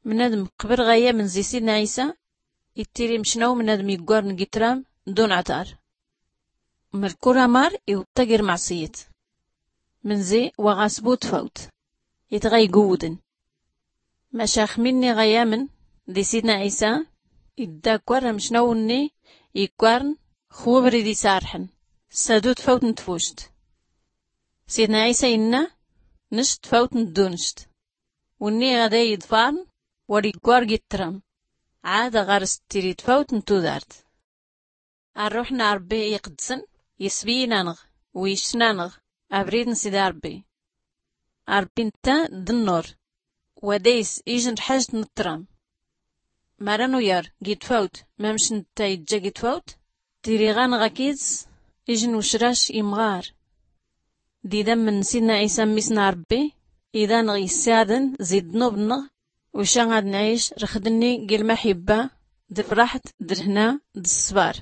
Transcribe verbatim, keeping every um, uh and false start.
Mnadm qbr ɣ-ayamn zi sidna ɛisa, ittiri mcnaw mnadm iggwarn g-itram dun ɛtar. Mrkur amar iwṭṭa gr-mɛṣiyt. Mnzi wa ɣ-asbu tfawt itɣa iguwdn. Maca xminni ɣ-ayamn di sidna ɛisa, iddakwar amcnaw-nni iggwarn x-wbrid isarḥn, s-adu tfawt n-tfuct. Sidna ɛisa inna, nct tfawt n-ddunct. Wnni ɣad ay-iḍfrn war iggwar g-itram, ɛad ɣar-s ttiri tfawt n-tudart. Arruḥ n-arbbi iqdsn isbiyyn-anɣ, u-ictn-anɣ abrid n-sidi arbbi. Arbbi ntta d-nnur, wa days ijn ḥajt n-tram. Mara nuyar g-itfawt mamc ntta ijja g-itfawt, tiriɣa-nnɣ akid-s ijn ucrac imɣar. D-idamn n-sidna ɛisa mmis n-arbbi, id-anɣ-issiyadn zi-ddnub-nnɣ, uca ad-nɛic rxd-nni g-ilmaḥibba d-lfraḥt d-lhna d-ssbar.